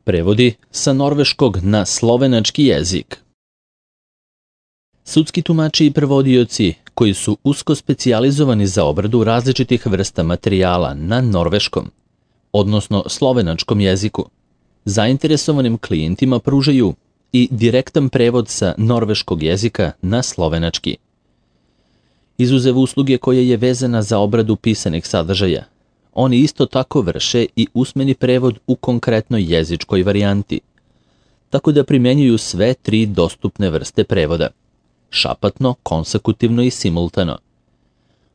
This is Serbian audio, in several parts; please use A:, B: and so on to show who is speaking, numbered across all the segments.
A: Prevodi sa norveškog na slovenački jezik. Sudski tumači i prevodioci koji su usko specijalizovani za obradu različitih vrsta materijala na norveškom, odnosno slovenačkom jeziku, zainteresovanim klijentima pružaju i direktan prevod sa norveškog jezika na slovenački. Izuzev usluge koja je vezana za obradu pisanih sadržaja, oni isto tako vrše i usmeni prevod u konkretnoj jezičkoj varijanti, tako da primjenjuju sve tri dostupne vrste prevoda: šapatno, konsekutivno i simultano.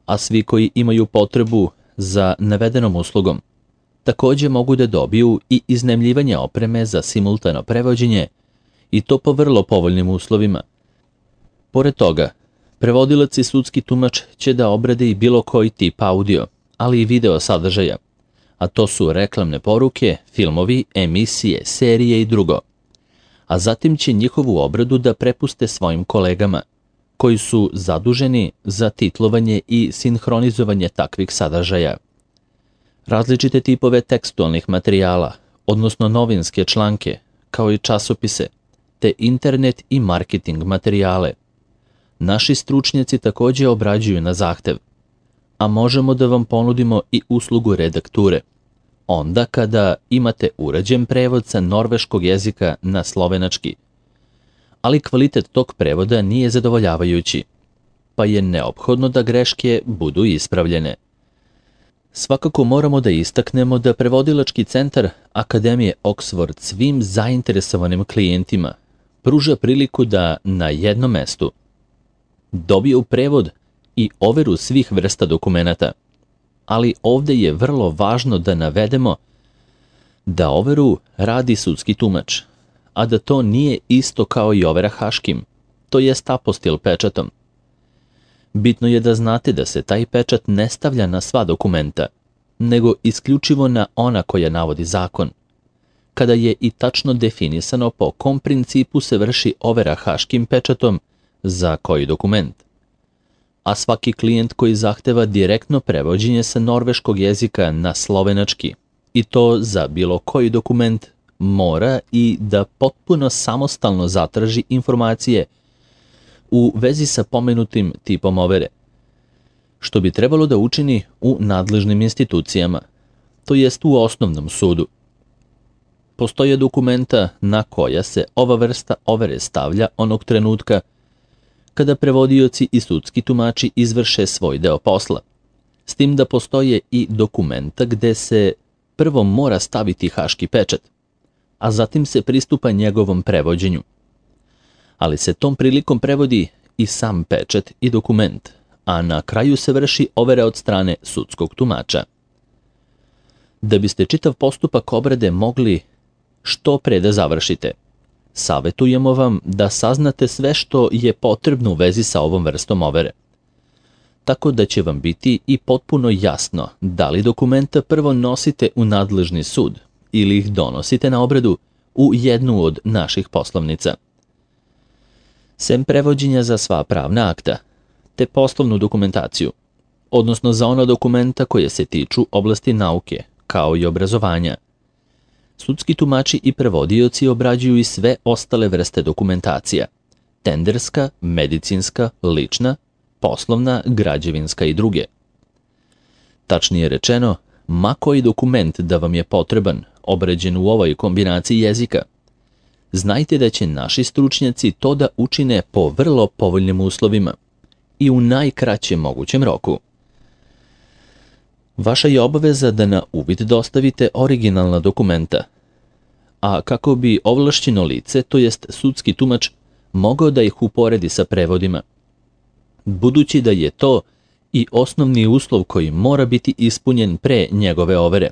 A: A svi koji imaju potrebu za navedenom uslugom također mogu da dobiju i iznajmljivanje opreme za simultano prevođenje, i to po vrlo povoljnim uslovima. Pored toga, prevodilac i sudski tumač će da obrade i bilo koji tip audio, ali i video sadržaja, a to su reklamne poruke, filmovi, emisije, serije i drugo. A zatim će njihovu obradu da prepuste svojim kolegama, koji su zaduženi za titlovanje i sinhronizovanje takvih sadržaja. Različite tipove tekstualnih materijala, odnosno novinske članke, kao i časopise, te internet i marketing materijale, naši stručnjaci također obrađuju na zahtev, a možemo da vam ponudimo i uslugu redakture, onda kada imate urađen prevod sa norveškog jezika na slovenački. Ali kvalitet tog prevoda nije zadovoljavajući, pa je neophodno da greške budu ispravljene. Svakako moramo da istaknemo da prevodilački centar Akademije Oxford svim zainteresovanim klijentima pruža priliku da na jednom mestu dobiju prevod i overu svih vrsta dokumenata, ali ovdje je vrlo važno da navedemo da overu radi sudski tumač, a da to nije isto kao i overa haškim, to jest apostil pečatom. Bitno je da znate da se taj pečat ne stavlja na sva dokumenta, nego isključivo na ona koja navodi zakon, kada je i tačno definisano po kom principu se vrši overa haškim pečatom za koji dokument. A svaki klijent koji zahteva direktno prevođenje sa norveškog jezika na slovenački, i to za bilo koji dokument, mora i da potpuno samostalno zatraži informacije u vezi sa pomenutim tipom overe, što bi trebalo da učini u nadležnim institucijama, to jest u osnovnom sudu. Postoje dokumenta na koja se ova vrsta overe stavlja onog trenutka kada prevodioci i sudski tumači izvrše svoj deo posla, s tim da postoje i dokumenta gde se prvo mora staviti haški pečat, a zatim se pristupa njegovom prevođenju. Ali se tom prilikom prevodi i sam pečat i dokument, a na kraju se vrši overa od strane sudskog tumača. Da biste čitav postupak obrade mogli što pre da završite, savetujemo vam da saznate sve što je potrebno u vezi sa ovom vrstom overe, tako da će vam biti i potpuno jasno da li dokumenta prvo nosite u nadležni sud ili ih donosite na obradu u jednu od naših poslovnica. Sem prevođenja za sva pravna akta, te poslovnu dokumentaciju, odnosno za ona dokumenta koje se tiču oblasti nauke, kao i obrazovanja, sudski tumači i prevodioci obrađuju i sve ostale vrste dokumentacija: tenderska, medicinska, lična, poslovna, građevinska i druge. Tačnije rečeno, ma koji dokument da vam je potreban, obrađen u ovoj kombinaciji jezika, znajte da će naši stručnjaci to da učine po vrlo povoljnim uslovima i u najkraćem mogućem roku. Vaša je obaveza da na uvid dostavite originalna dokumenta, a kako bi ovlašćeno lice, to jest sudski tumač, mogao da ih uporedi sa prevodima, budući da je to i osnovni uslov koji mora biti ispunjen pre njegove overe.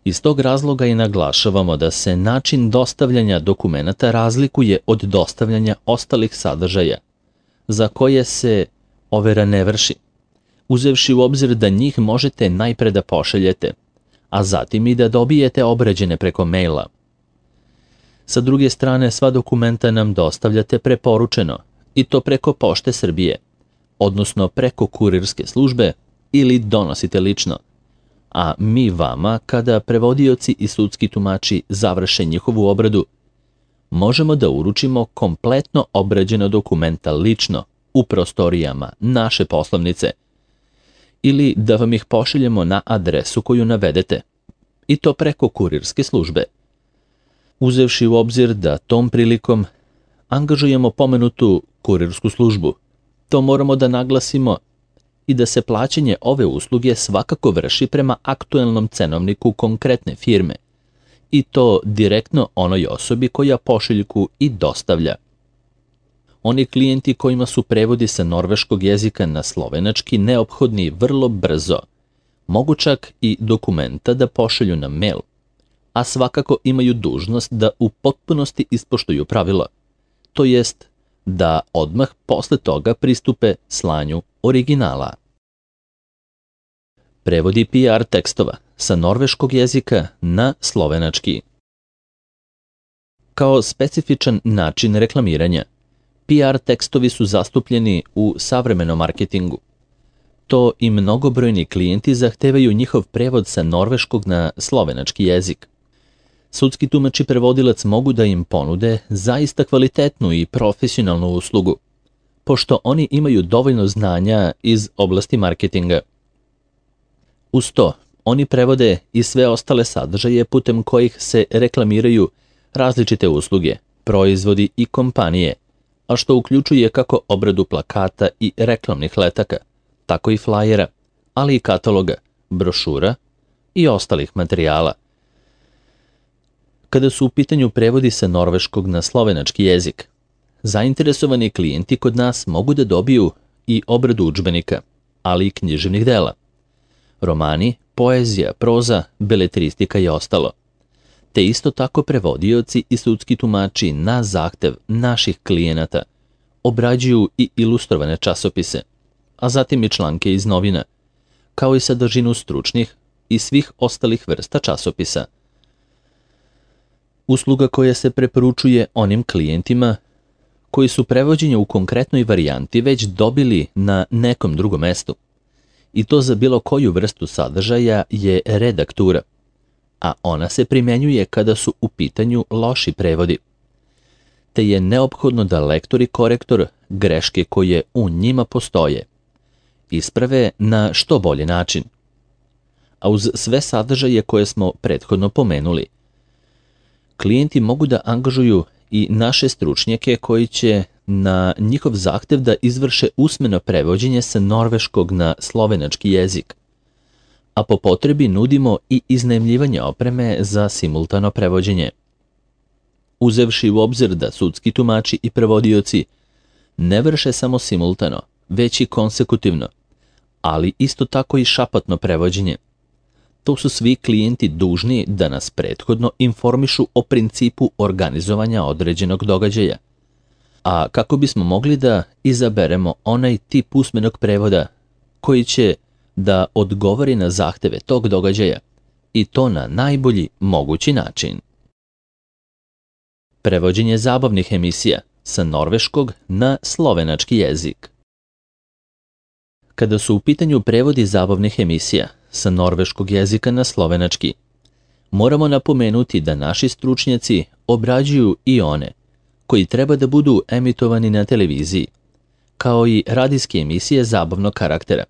A: Iz tog razloga i naglašavamo da se način dostavljanja dokumenata razlikuje od dostavljanja ostalih sadržaja, za koje se overa ne vrši, uzevši u obzir da njih možete najpre da pošaljete, a zatim i da dobijete obrađene preko maila. Sa druge strane, sva dokumenta nam dostavljate preporučeno, i to preko Pošte Srbije, odnosno preko kurirske službe, ili donosite lično, a mi vama, kada prevodioci i sudski tumači završe njihovu obradu, možemo da uručimo kompletno obrađena dokumenta lično u prostorijama naše poslovnice ili da vam ih pošaljemo na adresu koju navedete, i to preko kurirske službe. Uzevši u obzir da tom prilikom angažujemo pomenutu kurirsku službu, to moramo da naglasimo i da se plaćanje ove usluge svakako vrši prema aktuelnom cenovniku konkretne firme, i to direktno onoj osobi koja pošiljku i dostavlja. Oni klijenti kojima su prevodi sa norveškog jezika na slovenački neophodni vrlo brzo, mogu čak i dokumenta da pošalju na mail, a svakako imaju dužnost da u potpunosti ispoštuju pravilo, to jest da odmah posle toga pristupe slanju originala. Prevodi PR tekstova sa norveškog jezika na slovenački. Kao specifičan način reklamiranja, PR tekstovi su zastupljeni u savremenom marketingu. To i mnogobrojni klijenti zahtevaju njihov prevod sa norveškog na slovenački jezik. Sudski tumač i prevodilac mogu da im ponude zaista kvalitetnu i profesionalnu uslugu, pošto oni imaju dovoljno znanja iz oblasti marketinga. Uz to, oni prevode i sve ostale sadržaje putem kojih se reklamiraju različite usluge, proizvodi i kompanije, a što uključuje kako obradu plakata i reklamnih letaka, tako i flajera, ali i kataloga, brošura i ostalih materijala. Kada su u pitanju prevodi sa norveškog na slovenački jezik, zainteresovani klijenti kod nas mogu da dobiju i obradu udžbenika, ali i književnih dela, romani, poezija, proza, beletristika i ostalo, te isto tako prevodioci i sudski tumači na zahtev naših klijenata obrađuju i ilustrovane časopise, a zatim i članke iz novina, kao i sadržinu stručnih i svih ostalih vrsta časopisa. Usluga koja se preporučuje onim klijentima koji su prevođenje u konkretnoj varijanti već dobili na nekom drugom mestu, i to za bilo koju vrstu sadržaja je redaktura, a ona se primjenjuje kada su u pitanju loši prevodi, te je neophodno da lektor i korektor greške koje u njima postoje isprave na što bolji način. A uz sve sadržaje koje smo prethodno pomenuli, klijenti mogu da angažuju i naše stručnjake koji će na njihov zahtev da izvrše usmeno prevođenje sa norveškog na slovenački jezik, a po potrebi nudimo i iznajmljivanje opreme za simultano prevođenje. Uzevši u obzir da sudski tumači i prevodioci ne vrše samo simultano, već i konsekutivno, ali isto tako i šapatno prevođenje, to su svi klijenti dužni da nas prethodno informišu o principu organizovanja određenog događaja, a kako bismo mogli da izaberemo onaj tip usmenog prevoda koji će da odgovori na zahteve tog događaja, i to na najbolji mogući način. Prevođenje zabavnih emisija sa norveškog na slovenački jezik. Kada su u pitanju prevodi zabavnih emisija sa norveškog jezika na slovenački, moramo napomenuti da naši stručnjaci obrađuju i one koji treba da budu emitovani na televiziji, kao i radijske emisije zabavnog karaktera,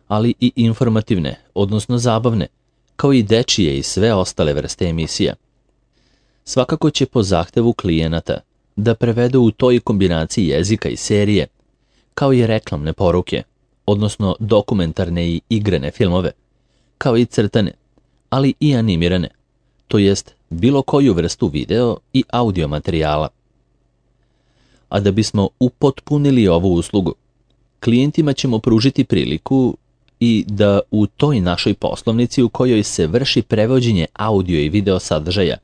A: ali i informativne, odnosno zabavne, kao i dečije i sve ostale vrste emisija. Svakako će po zahtevu klijenata da prevedu u toj kombinaciji jezika i serije, kao i reklamne poruke, odnosno dokumentarne i igrane filmove, kao i crtane, ali i animirane, to jest bilo koju vrstu video i audio materijala. A da bismo upotpunili ovu uslugu, klijentima ćemo pružiti priliku i da u toj našoj poslovnici u kojoj se vrši prevođenje audio i video sadržaja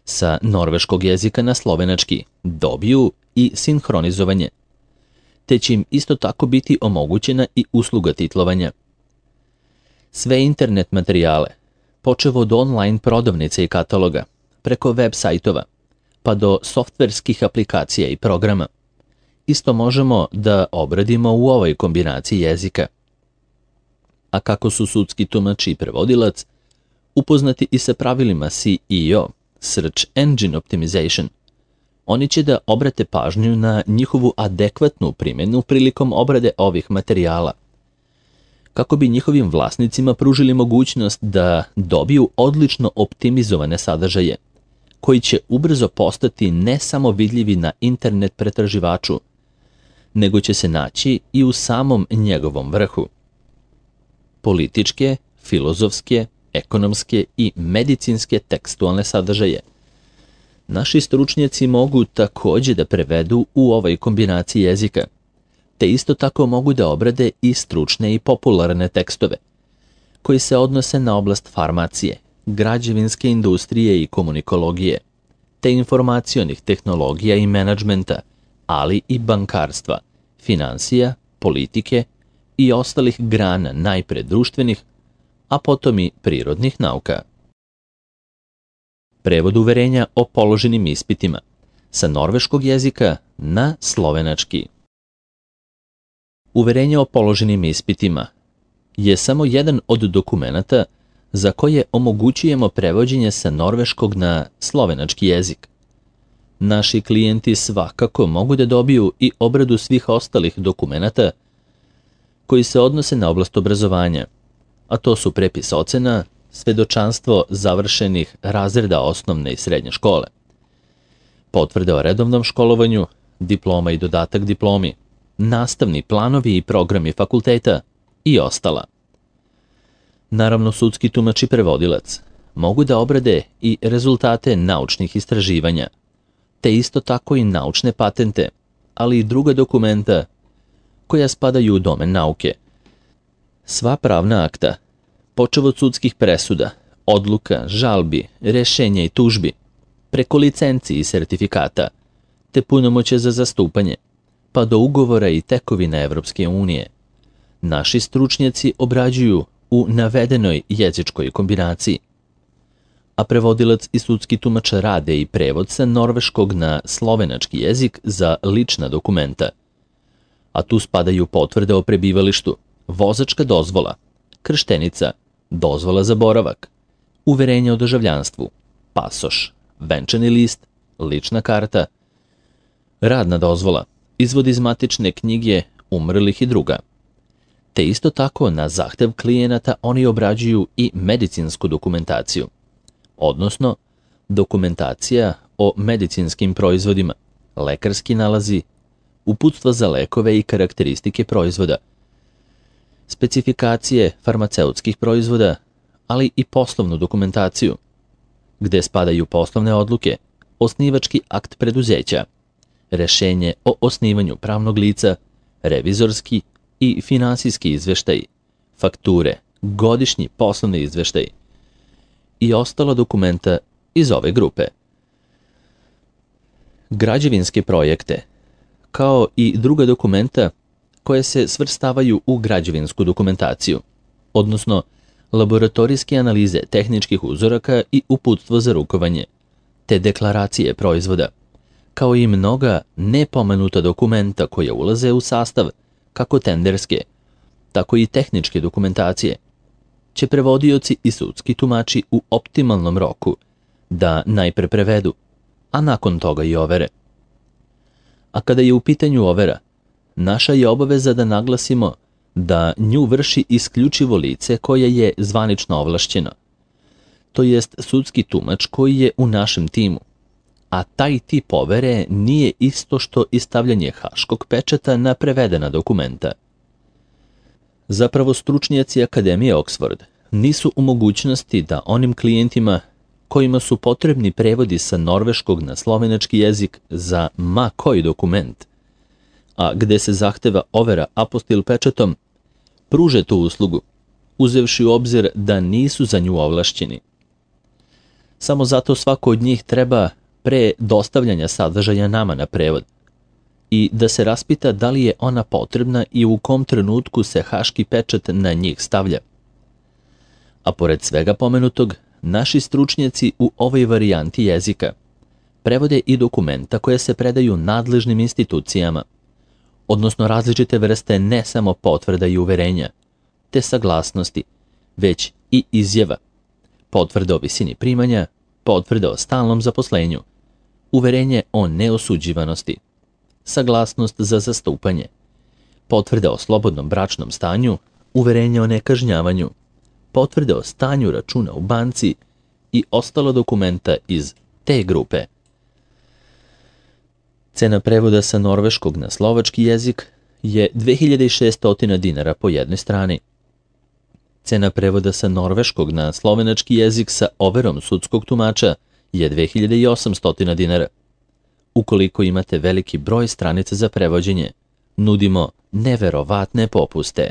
A: sa norveškog jezika na slovenački dobiju i sinhronizovanje, te će im isto tako biti omogućena i usluga titlovanja. Sve internet materijale, počev od online prodavnice i kataloga, preko web sajtova, pa do softverskih aplikacija i programa, isto možemo da obradimo u ovoj kombinaciji jezika. a kako su sudski tumač i prevodilac upoznati i sa pravilima SEO, Search Engine Optimization, oni će da obrate pažnju na njihovu adekvatnu primjenu prilikom obrade ovih materijala, kako bi njihovim vlasnicima pružili mogućnost da dobiju odlično optimizovane sadržaje, koji će ubrzo postati ne samo vidljivi na internet pretraživaču, nego će se naći i u samom njegovom vrhu. Političke, filozofske, ekonomske i medicinske tekstualne sadržaje naši stručnjaci mogu takođe da prevedu u ovoj kombinaciji jezika, te isto tako mogu da obrade i stručne i popularne tekstove, koji se odnose na oblast farmacije, građevinske industrije i komunikologije, te informacionih tehnologija i menadžmenta, ali i bankarstva, finansija, politike i ostalih grana najpre društvenih, a potom i prirodnih nauka. Prevod uverenja o položenim ispitima sa norveškog jezika na slovenački. Uverenje o položenim ispitima je samo jedan od dokumenata za koje omogućujemo prevođenje sa norveškog na slovenački jezik. Naši klijenti svakako mogu da dobiju i obradu svih ostalih dokumenata koji se odnose na oblast obrazovanja, a to su prepis ocena, svedočanstvo završenih razreda osnovne i srednje škole, potvrde o redovnom školovanju, diploma i dodatak diplomi, nastavni planovi i programi fakulteta i ostala. Naravno, sudski tumač i prevodilac mogu da obrade i rezultate naučnih istraživanja, te isto tako i naučne patente, ali i druga dokumenta koja spadaju u domen nauke. Sva pravna akta, počev od sudskih presuda, odluka, žalbi, rešenja i tužbi, preko licenci i sertifikata, te punomoće za zastupanje, pa do ugovora i tekovina Evropske unije, naši stručnjaci obrađuju u navedenoj jezičkoj kombinaciji, a prevodilac i sudski tumač rade i prevod sa norveškog na slovenački jezik za lična dokumenta, a tu spadaju potvrde o prebivalištu, vozačka dozvola, krštenica, dozvola za boravak, uverenje o državljanstvu, pasoš, venčani list, lična karta, radna dozvola, izvod iz matične knjige umrlih i druga. Te isto tako na zahtev klijenata oni obrađuju i medicinsku dokumentaciju, odnosno dokumentacija o medicinskim proizvodima, lekarski nalazi, uputstva za lekove i karakteristike proizvoda, specifikacije farmaceutskih proizvoda, ali i poslovnu dokumentaciju, gde spadaju poslovne odluke, osnivački akt preduzeća, rešenje o osnivanju pravnog lica, revizorski i finansijski izveštaj, fakture, godišnji poslovni izveštaj i ostala dokumenta iz ove grupe. Građevinske projekte, kao i druga dokumenta koje se svrstavaju u građevinsku dokumentaciju, odnosno laboratorijske analize tehničkih uzoraka i uputstvo za rukovanje, te deklaracije proizvoda, kao i mnoga nepomenuta dokumenta koja ulaze u sastav kako tenderske, tako i tehničke dokumentacije, će prevodioci i sudski tumači u optimalnom roku da najpre prevedu, a nakon toga i overe. A kada je u pitanju overa, naša je obaveza da naglasimo da nju vrši isključivo lice koje je zvanično ovlašćeno, to jest sudski tumač koji je u našem timu, a taj tip overe nije isto što i stavljanje haškog pečata na prevedena dokumenta. Zapravo, stručnjaci Akademije Oxford nisu u mogućnosti da onim klijentima kojima su potrebni prevodi sa norveškog na slovenački jezik za ma koji dokument, a gde se zahteva overa apostil pečatom, pruže tu uslugu, uzevši u obzir da nisu za nju ovlašćeni. Samo zato svako od njih treba pre dostavljanja sadržaja nama na prevod i da se raspita da li je ona potrebna i u kom trenutku se haški pečat na njih stavlja. A pored svega pomenutog, naši stručnjaci u ovoj varijanti jezika prevode i dokumenta koje se predaju nadležnim institucijama, odnosno različite vrste ne samo potvrda i uverenja, te saglasnosti, već i izjava, potvrda o visini primanja, potvrda o stalnom zaposlenju, uverenje o neosuđivanosti, saglasnost za zastupanje, potvrda o slobodnom bračnom stanju, uverenje o nekažnjavanju, potvrda o stanju računa u banci i ostalo dokumenta iz te grupe. Cena prevoda sa norveškog na slovački jezik je 2600 dinara po jednoj strani. Cena prevoda sa norveškog na slovenački jezik sa overom sudskog tumača je 2800 dinara. Ukoliko imate veliki broj stranica za prevođenje, nudimo neverovatne popuste.